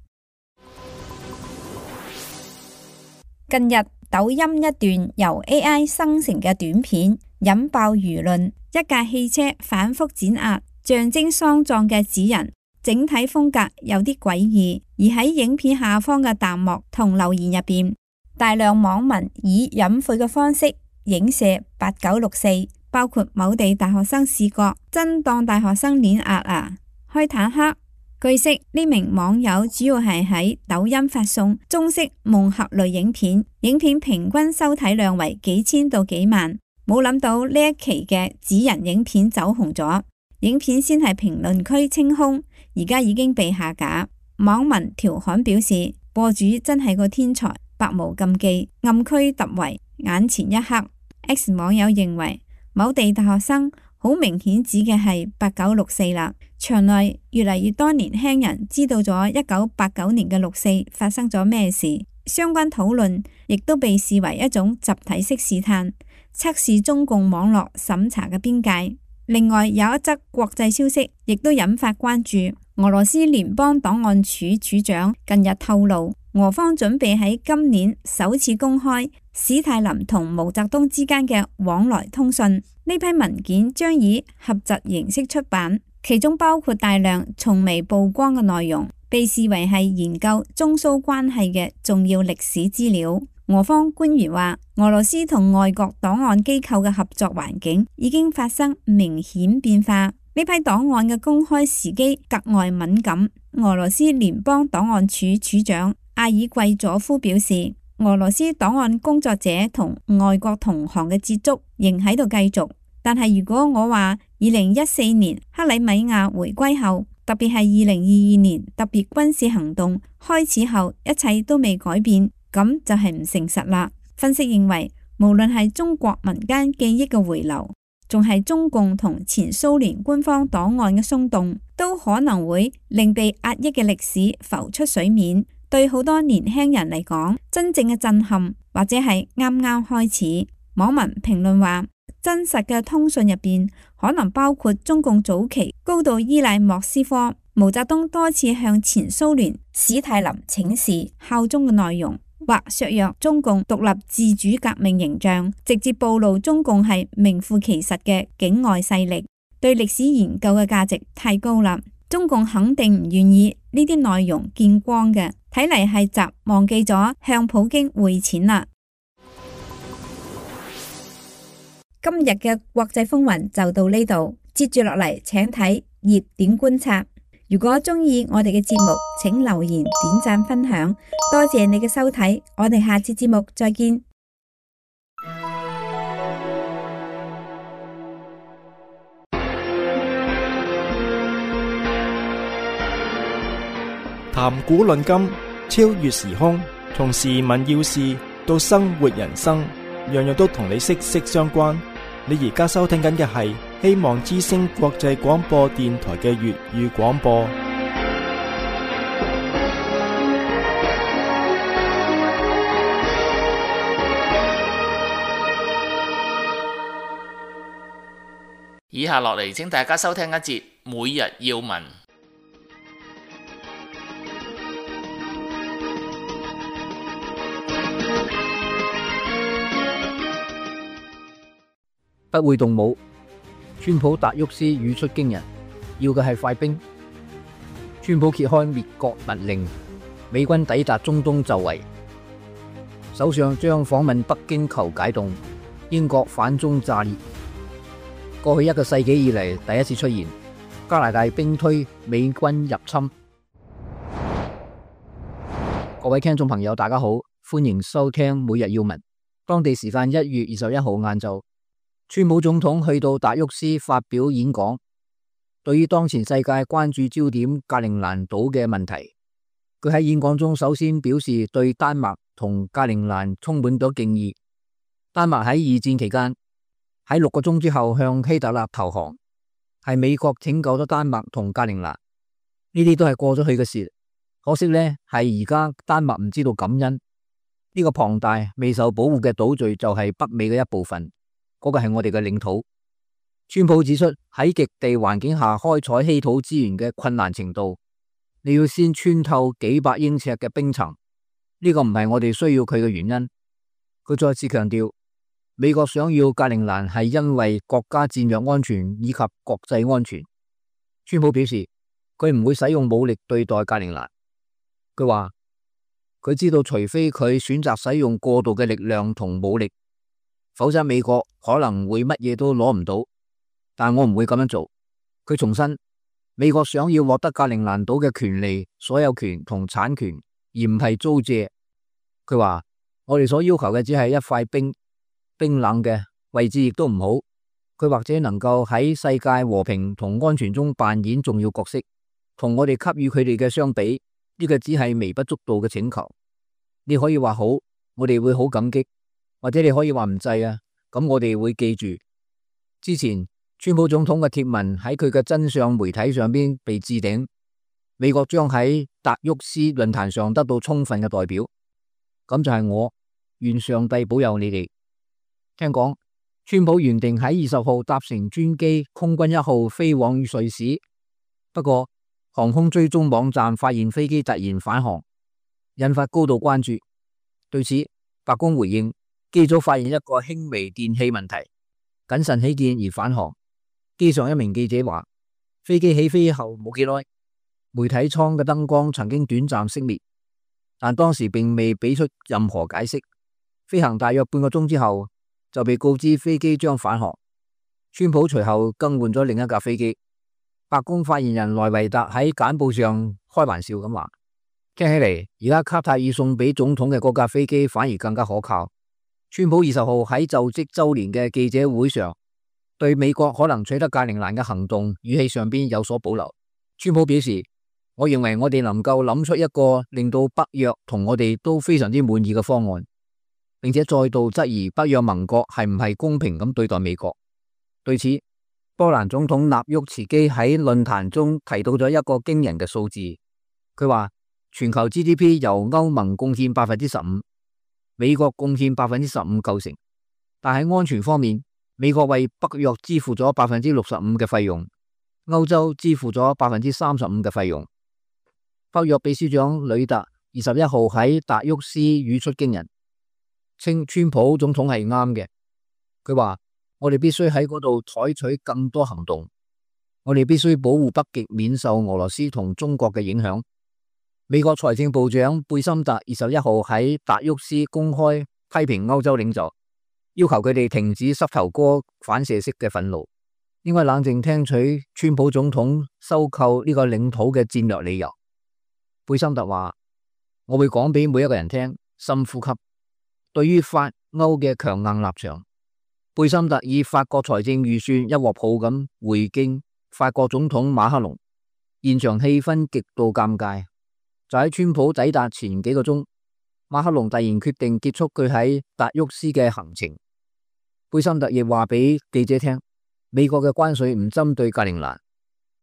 近日，抖音一段由 AI 生成嘅短片引爆輿論，一架汽車反覆碾壓象徵喪葬嘅紙人，整體風格有啲詭異。而喺影片下方嘅彈幕同留言入邊，大量網民以隱晦嘅方式影射8964，包括某地大學生視角，真當大學生碾壓啊，開坦克。據悉，呢名網友主要係喺抖音發送中式夢俠類影片，影片平均收睇量為幾千到幾萬。冇諗到呢一期嘅紙人影片走紅咗，影片先係評論區清空，而家已經被下架。網民調侃表示，播主真係個天才，百無禁忌，暗區突圍，眼前一黑。X 網友認為某地大學生好明顯指嘅係8964啦。場內越嚟越多年輕人知道咗1989年嘅6·4發生咗咩事，相關討論亦都被視為一種集體式試探，測試中共網絡審查嘅邊界。另外有一則國際消息亦都引發關注，俄羅斯聯邦檔案處處長近日透露，俄方準備喺今年首次公開史太林同毛澤東之間嘅往來通訊。呢批文件將以合集形式出版，其中包括大量從未曝光嘅內容，被視為係研究中蘇關係嘅重要歷史資料。俄方官員話，俄羅斯同外國檔案機構嘅合作環境已經發生明顯變化，呢批檔案嘅公開時機格外敏感。俄羅斯聯邦檔案處處長阿爾季佐夫表示，俄羅斯檔案工作者同外國同行嘅接觸仍喺度繼續，但係如果我話2014年克里米亞回歸後，特別係2022年特別軍事行動開始後，一切都未改變，咁就係唔誠實啦。分析認為，無論係中國民間記憶嘅回流，仲係中共同前蘇聯官方檔案嘅鬆動，都可能會令被壓抑嘅歷史浮出水面。對好多年輕人嚟講，真正嘅震撼或者係啱啱開始。網民評論話，真實嘅通訊入邊可能包括中共早期高度依賴莫斯科，毛澤東多次向前蘇聯史太林請示效忠嘅內容，或削弱中共獨立自主革命形象，直接暴露中共係名副其實嘅境外勢力。對歷史研究嘅價值太高啦，中共肯定唔願意呢啲內容見光嘅。睇嚟係習忘記咗向普京匯錢啦。今日嘅國際風雲就到呢度，接住落嚟請睇熱點觀察。如果中意我哋嘅節目，請留言、點讚、分享，多謝你嘅收睇，我哋下次節目再見。談古論今，超越時空，從時聞要事到生活人生，樣樣都同你息息相關。你而家收聽緊嘅係希望之聲國際廣播電台嘅粵語廣播。以下落嚟，請大家收聽一節每日要聞。不會動武，川普達沃斯語出驚人，要嘅係快兵。川普揭開滅國密令，美軍抵達中東就位，首相將訪問北京求解凍，英國反中炸裂。過去一個世紀以嚟第一次出現，加拿大兵推美軍入侵。各位聽眾朋友大家好，歡迎收聽每日要聞。當地時間1月21號晏晝，川普總統去到達沃斯發表演講，對於當前世界關注焦點格陵蘭島嘅問題，佢喺演講中首先表示對丹麥同格陵蘭充滿咗敬意。丹麥喺二戰期間喺6個鐘之後向希特勒投降，係美國拯救咗丹麥同格陵蘭，呢啲都係過咗去嘅事。可惜呢，係而家丹麥唔知道感恩，呢個龐大未受保護嘅島嶼就係北美嘅一部分。嗰個係我哋嘅領土。川普指出，喺極地環境下開採稀土資源嘅困難程度，你要先穿透幾百英尺嘅冰層，呢個唔係我哋需要佢嘅原因。佢再次強調，美國想要格陵蘭係因為國家戰略安全以及國際安全。川普表示，佢唔會使用武力對待格陵蘭。佢話，佢知道除非佢選擇使用過度嘅力量同武力，否則美國可能會乜嘢都攞唔到，但我唔會咁樣做。佢重申，美國想要獲得格陵蘭島嘅權利、所有權同產權，而唔係租借。佢話，我哋所要求嘅只係一塊冰冷嘅位置亦都唔好。佢或者能夠喺世界和平同安全中扮演重要角色，同我哋給予佢哋嘅相比，呢個只係微不足道嘅請求。你可以話好，我哋會好感激。或者你可以話唔制啊，咁我哋會記住。之前川普總統嘅貼文喺佢嘅真相媒體上邊被置頂，美國將喺達沃斯論壇上得到充分嘅代表，咁就係我，願上帝保佑你哋。聽講川普原定喺20號搭乘專機空軍1號飛往瑞士，不過航空追蹤網站發現飛機突然返航，引發高度關注。對此，白宮回應，機組發現一個輕微電氣問題，謹慎起見而返航。機上一名記者話，飛機起飛後冇幾耐，媒體艙嘅燈光曾經短暫熄滅，但當時並未俾出任何解釋。飛行大約半個鐘之後，就被告知飛機將返航。川普隨後更換咗另一架飛機。白宮發言人萊維達喺簡報上開玩笑咁話，聽起嚟而家卡塔爾送俾總統嘅嗰架飛機反而更加可靠。川普20號喺就職周年嘅記者會上，對美國可能取得格陵蘭嘅行動語氣上邊有所保留。川普表示，我認為我哋能夠諗出一個令到北約同我哋都非常之滿意嘅方案，並且再度質疑北約盟國係唔係公平咁對待美國。對此，波蘭總統納沃茨基喺論壇中提到咗一個驚人嘅數字，佢話全球 GDP 由歐盟貢獻 15%。美國貢獻 15% 構成，但喺安全方面，美國為北約支付咗 65% 嘅費用，歐洲支付咗 35% 嘅費用。北約秘書長呂特21號喺達沃斯語出驚人，稱川普總統係啱嘅。佢話，我哋必須喺嗰度採取更多行動，我哋必須保護北極免受俄羅斯同中國嘅影響。美國財政部長貝森特21號喺達沃斯公開批評歐洲領袖，要求佢哋停止膝頭哥反射式嘅憤怒，應該冷靜聽取川普總統收購呢個領土嘅戰略理由。貝森特話：我會講俾每一個人聽，深呼吸。對於法歐嘅強硬立場，貝森特以法國財政預算一鑊泡咁回敬法國總統馬克龍，現場氣氛極度尷尬。就喺川普抵達前幾個鐘，馬克龍突然決定結束佢喺達沃斯嘅行程。貝森特亦話俾記者聽，美國嘅關稅唔針對格陵蘭。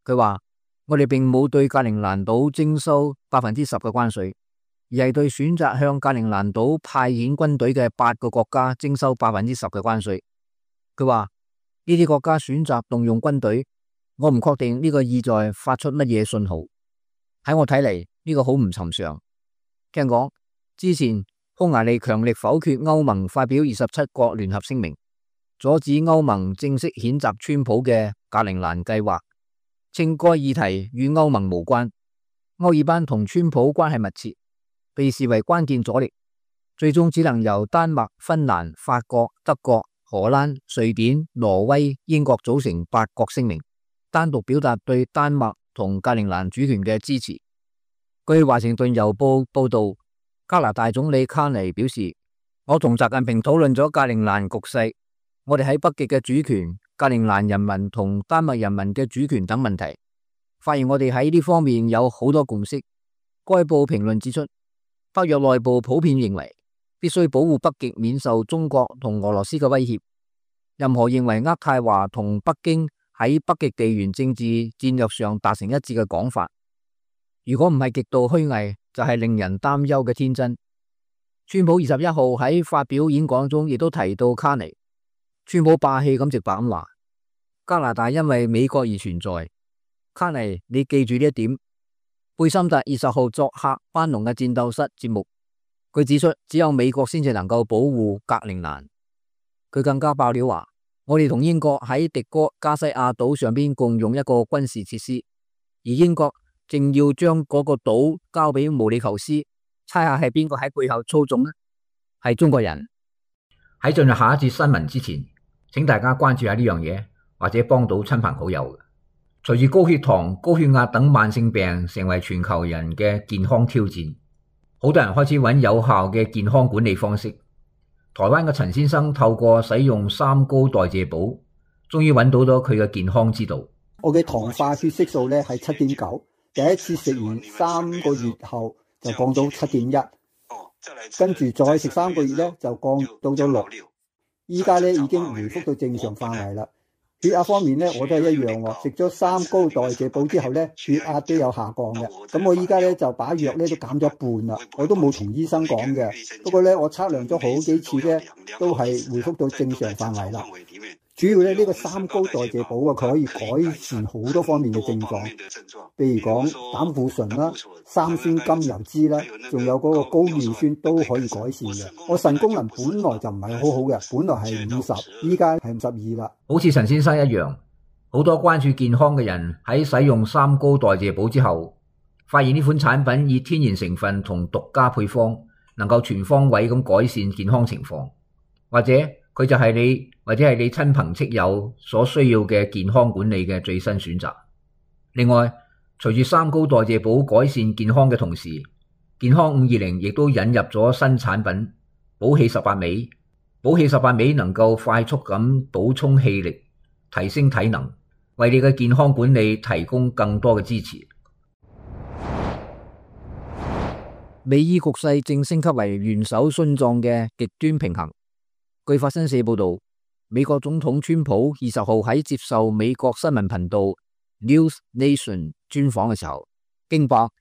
佢話：我哋並冇對格陵蘭島徵收10%嘅關稅，而係對選擇向格陵蘭島派遣軍隊嘅8個國家徵收10%嘅關稅。佢話呢啲國家選擇動用軍隊，我唔確定呢個意在發出乜嘢信號。喺我睇嚟，呢個好唔尋常。聽講之前匈牙利強力否決歐盟發表27國聯合聲明，阻止歐盟正式譴責川普嘅格陵蘭計劃，稱該議題與歐盟無關。歐爾班同川普關係密切，被視為關鍵阻力，最終只能由丹麥、芬蘭、法國、德國、荷蘭、瑞典、挪威、英國組成8國聲明，單獨表達對丹麥同格陵蘭主權嘅支持。據華盛頓郵報報道，加拿大總理卡尼表示：我同習近平討論咗格陵蘭局勢，我哋喺北極嘅主權、格陵蘭人民同丹麥人民嘅主權等問題，發現我哋喺呢方面有好多共識。該報評論指出，北約內部普遍認為必須保護北極免受中國同俄羅斯嘅威脅。任何認為渥太華同北京喺北極地緣政治戰略上達成一致嘅講法，如果唔係極度虛偽，就係令人擔憂嘅天真。川普21號喺發表演講中亦都提到卡尼。川普霸氣咁直白咁話：加拿大因為美國而存在。卡尼，你記住呢一點。貝森特20號作客班農嘅戰鬥室節目，佢指出只有美國先至能夠保護格陵蘭。佢更加爆料話：我哋同英國喺迪哥加西亞島上邊共用一個軍事設施，而英國正要將嗰個島交俾毛里求斯，猜下係邊個喺背後操縱呢？係中國人。喺進入下一節新聞之前，請大家關注下呢樣嘢，或者幫到親朋好友。隨住高血糖、高血壓等慢性病成為全球人嘅健康挑戰，好多人開始揾有效嘅健康管理方式。台灣嘅陳先生透過使用3高代謝補，終於揾到咗佢嘅健康之道。我嘅糖化血色素咧係7.9，第一次食完3個月後就降到7.1，跟住再食3個月咧就降到咗6，依家咧已經回復到正常範圍啦。血壓方面咧，我都係一樣喎。食咗3高代謝補之後咧，血壓都有下降嘅。咁我依家咧就把藥咧都減咗一半啦，我都冇同醫生講嘅。不過咧，我測量咗好幾次咧，都係回復到正常範圍啦。主要咧呢個3高代謝補啊，佢可以改善好多方面嘅症狀，譬如講膽固醇啦、三酸甘油酯啦，仲有嗰個高尿酸都可以改善嘅。我腎功能本來就唔係好好嘅，本來係50，依家係52啦。好似陳先生一樣，好多關注健康嘅人喺使用3高代謝補之後，發現呢款產品以天然成分同獨家配方，能夠全方位咁改善健康情況，或者佢就係你或者係你親朋戚友所需要嘅健康管理嘅最新選擇。另外，隨住3高代謝補改善健康嘅同時，健康520亦都引入咗新產品補氣18味。補氣18味能夠快速咁補充氣力，提升體能，為你嘅健康管理提供更多嘅支持。美伊局勢正升級為元首殉葬嘅極端平衡。據法新社報道，美國總統川普20號喺接受美國新聞頻道 News Nation 專訪嘅時候，驚爆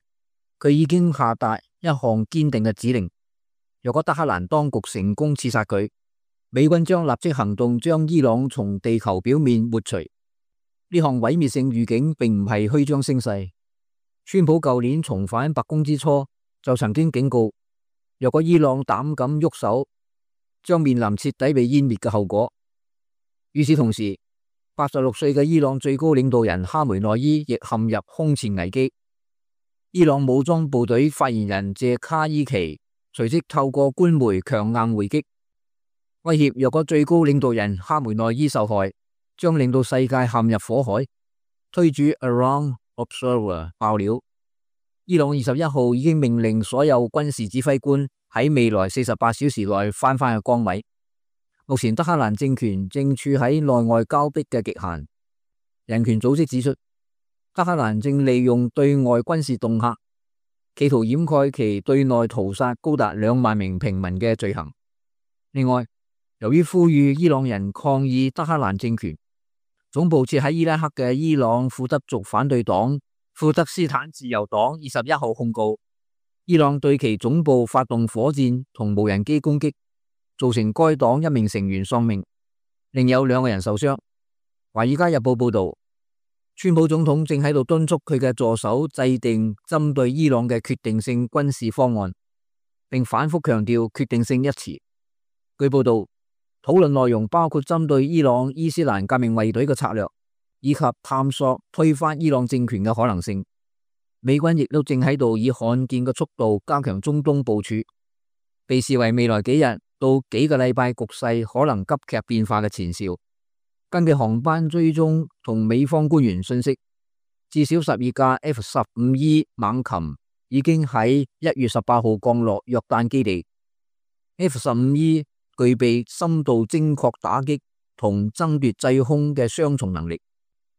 佢已經下達一項堅定嘅指令：若果德黑蘭當局成功刺殺佢，美軍將立即行動將伊朗從地球表面抹除。呢項毀滅性預警並唔係虛張聲勢。川普舊年重返白宮之初就曾經警告，若果伊朗膽敢喐手，將面臨徹底被湮滅嘅後果。與此同時，86歲嘅伊朗最高領導人哈梅內伊亦陷入空前危機。伊朗武裝部隊發言人謝卡伊奇隨即透過官媒強硬回擊，威脅若果最高領導人哈梅內伊受害，將令到世界陷入火海。推主 Around Observer 爆料，伊朗21號已經命令所有軍事指揮官喺未來48小時內返返去崗位。目前德黑蘭政權正處喺內外交迫嘅極限。人權組織指出，德黑蘭正利用對外軍事恫嚇，企圖掩蓋其對內屠殺高達2萬名平民嘅罪行。另外，由於呼籲伊朗人抗議德黑蘭政權，總部設喺伊拉克嘅伊朗庫德族反對黨庫德斯坦自由黨21號控告，伊朗對其總部發動火箭同無人機攻擊，造成該黨1名成員喪命，另有2個人受傷。華爾街日報報道，川普總統正喺度敦促佢嘅助手制定針對伊朗嘅決定性軍事方案，並反覆強調決定性一詞。據報道，討論內容包括針對伊朗伊斯蘭革命衛隊嘅策略，以及探索推翻伊朗政權嘅可能性。美軍亦都正喺度以罕見嘅速度加強中東部署，被視為未來幾日到幾個禮拜局勢可能急劇變化嘅前兆。根據航班追蹤同美方官員信息，至少12架 F-15E 猛禽已經喺1月18號降落約旦基地。F-15E 具備深度精確打擊同爭奪制空嘅雙重能力，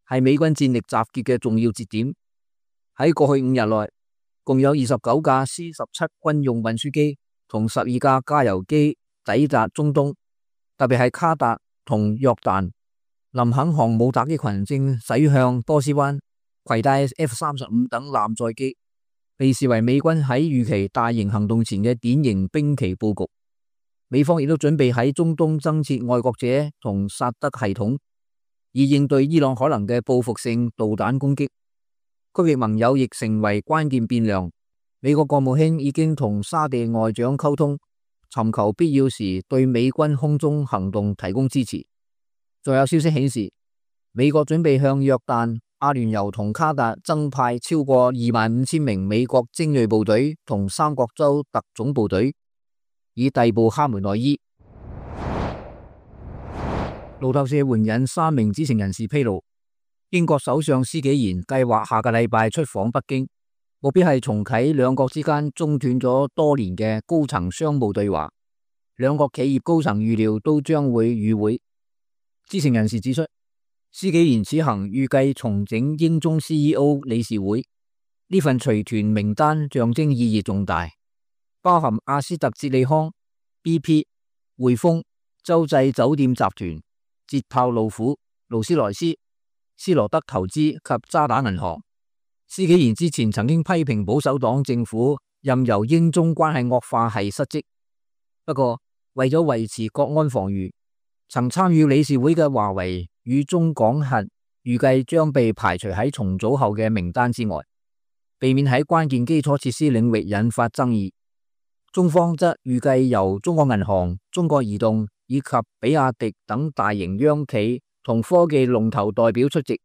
係美軍戰力集結嘅重要節點。喺過去5日內，共有29架 C-17 軍用運輸機同12架加油機抵達中東，特別係卡達同約旦。林肯航母打擊群正駛向波斯灣，攜帶 F-35 等艦載機，被視為美軍喺預期大型行動前嘅典型兵棋佈局。美方亦都準備喺中東增設愛國者同薩德系統，以應對伊朗可能嘅報復性導彈攻擊。區域盟友亦成為關鍵變量。美國國務卿已經同沙地外長溝通，尋求必要時對美軍空中行動提供支持。再有消息顯示，美國準備向約旦、阿聯酋同卡達增派超過25,000名美國精銳部隊同三角洲特種部隊，以逮捕哈梅內伊。路透社援引3名知情人士披露，英國首相施紀賢計劃下個禮拜出訪北京，目標係重啟兩國之間中斷咗多年嘅高層商務對話。兩國企業高層預料都將會與會。知情人士指出，施紀賢此行預計重整英中 CEO 理事會，呢份隨團名單象徵意義重大，包含阿斯特捷利康、BP、匯豐、洲際酒店集團、捷豹路虎、勞斯萊斯、斯羅德投資及渣打銀行。施紀賢之前曾經批評保守黨政府任由英中關係惡化係失職，不過為咗維持國安防禦，曾參與理事會嘅華為與中港核預計將被排除喺重組後嘅名單之外，避免喺關鍵基礎設施領域引發爭議。中方則預計由中國銀行、中國移動以及比亞迪等大型央企同科技龍頭代表出席。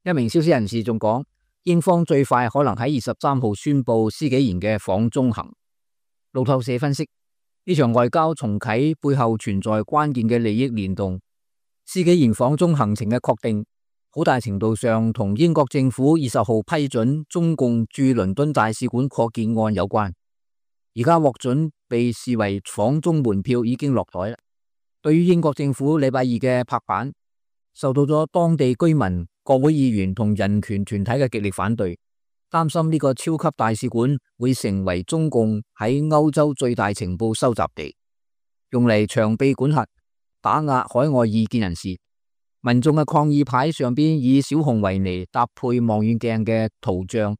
一名消息人士仲講，英方最快可能喺23號宣布施紀賢嘅訪中行。路透社分析，呢場外交重啟背後存在關鍵嘅利益聯動。施紀賢訪中行程嘅確定，好大程度上同英國政府20號批准中共駐倫敦大使館擴建案有關。而家獲准被視為訪中門票已經落台啦。對於英國政府禮拜二嘅拍板，受到咗當地居民、國會議員同人權團體嘅極力反對，擔心呢個超級大使館會成為中共喺歐洲最大情報收集地，用嚟長臂管轄、打壓海外意見人士。民眾嘅抗議牌上邊以小熊維尼搭配望遠鏡嘅圖像，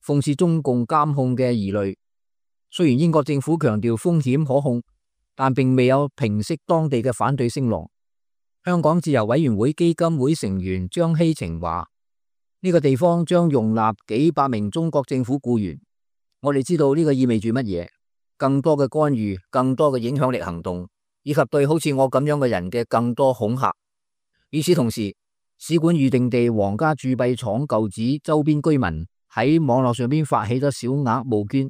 諷刺中共監控嘅疑慮。雖然英國政府強調風險可控，但並未有平息當地嘅反對聲浪。香港自由委員會基金會成員張希晴話：呢個地方將容納幾百名中國政府僱員。我哋知道呢個意味住乜嘢？更多嘅干預，更多嘅影響力行動，以及對好似我咁樣嘅人嘅更多恐嚇。與此同時，使館預定地皇家鑄幣廠舊址周邊居民喺網絡上邊發起咗小額募捐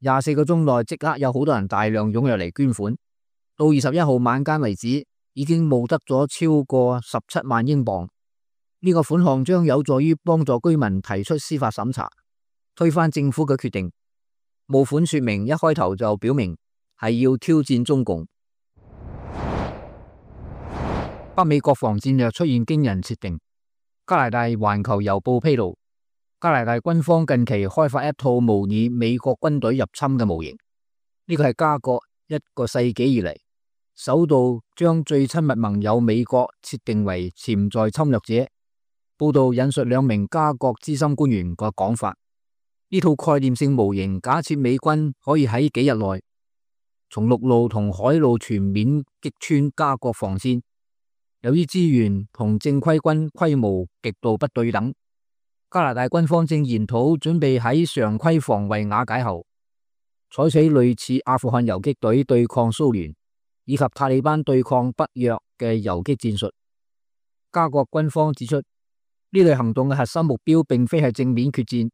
，24個鐘內即刻有好多人大量湧入嚟捐款。到21號晚間為止，已經募得咗超過17萬英鎊。呢個款項將有助於幫助居民提出司法審查，推翻政府嘅決定。募款說明一開頭就表明係要挑戰中共。北美國防戰略出現驚人設定。加拿大環球郵報披露，加拿大軍方近期開發一套模擬美國軍隊入侵嘅模型。呢個係加國1個世紀以嚟首度將最親密盟友美國設定為潛在侵略者。報道引述2名加國資深官員嘅講法。呢套概念性模型假設美軍可以喺幾日內從陸路同海路全面擊穿加國防線。由於資源同正規軍規模極度不對等，加拿大軍方正研討準備喺常規防衛瓦解後，採取類似阿富汗游擊隊對抗蘇聯以及塔利班對抗北約嘅游擊戰術。加國軍方指出，呢類行動嘅核心目標並非係正面決戰，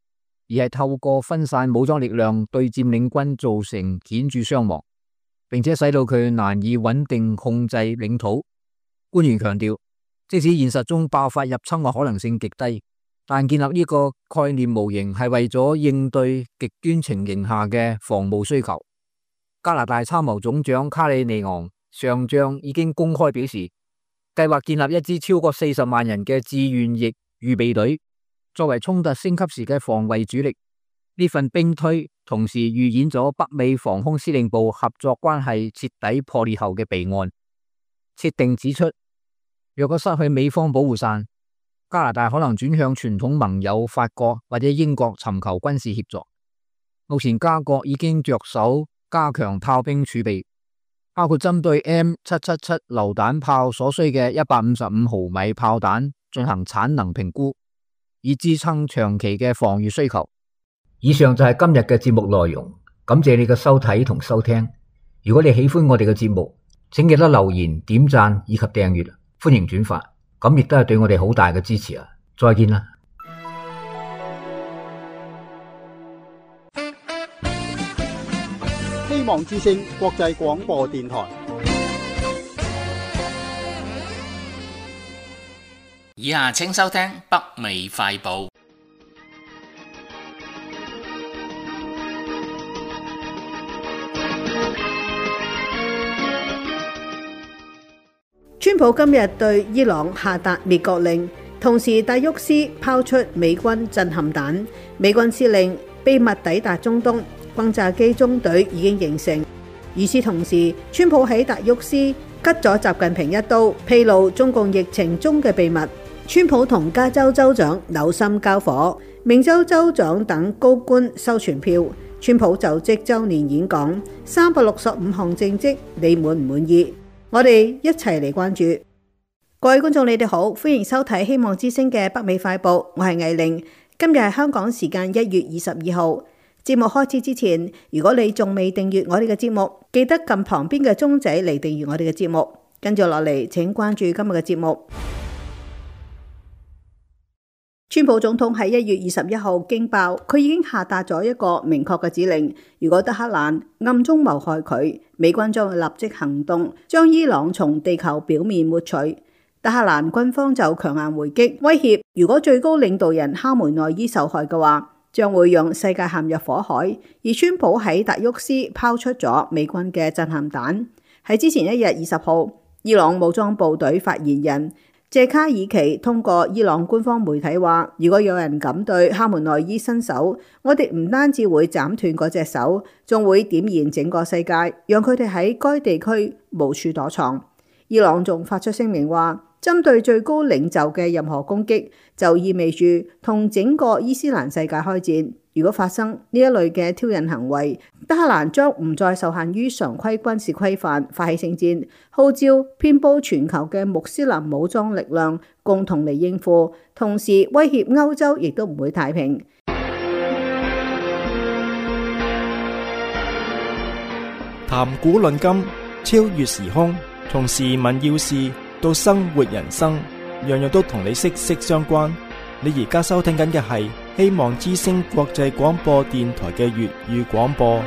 而係透過分散武裝力量對佔領軍造成顯著傷亡，並且使到佢難以穩定控制領土。官員強調，即使現實中爆發入侵嘅可能性極低，但建立呢個概念模型係為咗應對極端情形下嘅防務需求。加拿大參謀總長卡里尼昂上將已經公開表示，計劃建立一支超過40萬人嘅志願役預備隊，作為衝突升級時嘅防衛主力。呢份兵推同時預演咗北美防空司令部合作關係徹底破裂後嘅備案。設定指出，若果失去美方保護傘，加拿大可能轉向傳統盟友法國或者英國尋求軍事協助。目前加國已經着手加強炮兵儲備，包括針對 M777 榴彈炮所需嘅155毫米炮彈進行產能評估，以支撐長期嘅防禦需求。以上就係今日嘅節目內容，感謝你嘅收睇同收聽。如果你喜歡我哋嘅節目，請記得留言、點讚以及訂閱，歡迎轉發，咁亦都係對我哋好大嘅支持啊！再見啦！希望之聲國際廣播電台。以下請收聽北美快報。川普今日對伊朗下達滅國令，同時戴沃斯拋出美軍震撼彈，美軍司令秘密抵達中東，轟炸機中隊已經形成。與此同時，川普喺戴沃斯吉咗習近平一刀，披露中共疫情中嘅秘密。川普同加州州長扭心交火，明州州長等高官收傳票。川普就職週年演講，365項政績，你滿唔滿意？我哋一齊嚟關注。各位觀眾你哋好，歡迎收睇希望之聲嘅北美快報，我係藝玲。今日係香港時間1月22號。節目開始之前，如果你仲未訂閱我哋嘅節目，記得撳旁邊嘅鐘仔嚟訂閱我哋嘅節目。跟住落嚟，請關注今日嘅節目。川普總統喺1月21號驚爆，佢已經下達咗一個明確嘅指令，如果德黑蘭暗中謀害佢，美軍將會立即行動，將伊朗從地球表面抹除。德黑蘭軍方就強硬回擊，威脅如果最高領導人哈梅內伊受害嘅話，將會讓世界陷入火海。而川普喺達沃斯拋出咗美軍嘅震撼彈。喺之前1日20號，伊朗武裝部隊發言人謝卡爾奇通過伊朗官方媒體話，如果有人敢對哈梅內伊伸手，我哋唔單止會斬斷嗰隻手，仲會點燃整個世界，讓佢哋喺該地區無處躲藏。伊朗仲發出聲明話，針對最高領袖嘅任何攻擊，就意味住同整個伊斯蘭世界開戰。如果發生呢一類嘅挑釁行為，德黑蘭將唔再受限於常規軍事規範發起聖戰，號召遍佈全球嘅穆斯林武裝力量共同嚟應付，同時威脅歐洲亦都唔會太平。談古論今，超越時空，從時聞要事到生活人生，樣樣都同你息息相關。你而家收聽緊嘅係希望之聲國際廣播電台嘅粵語廣播。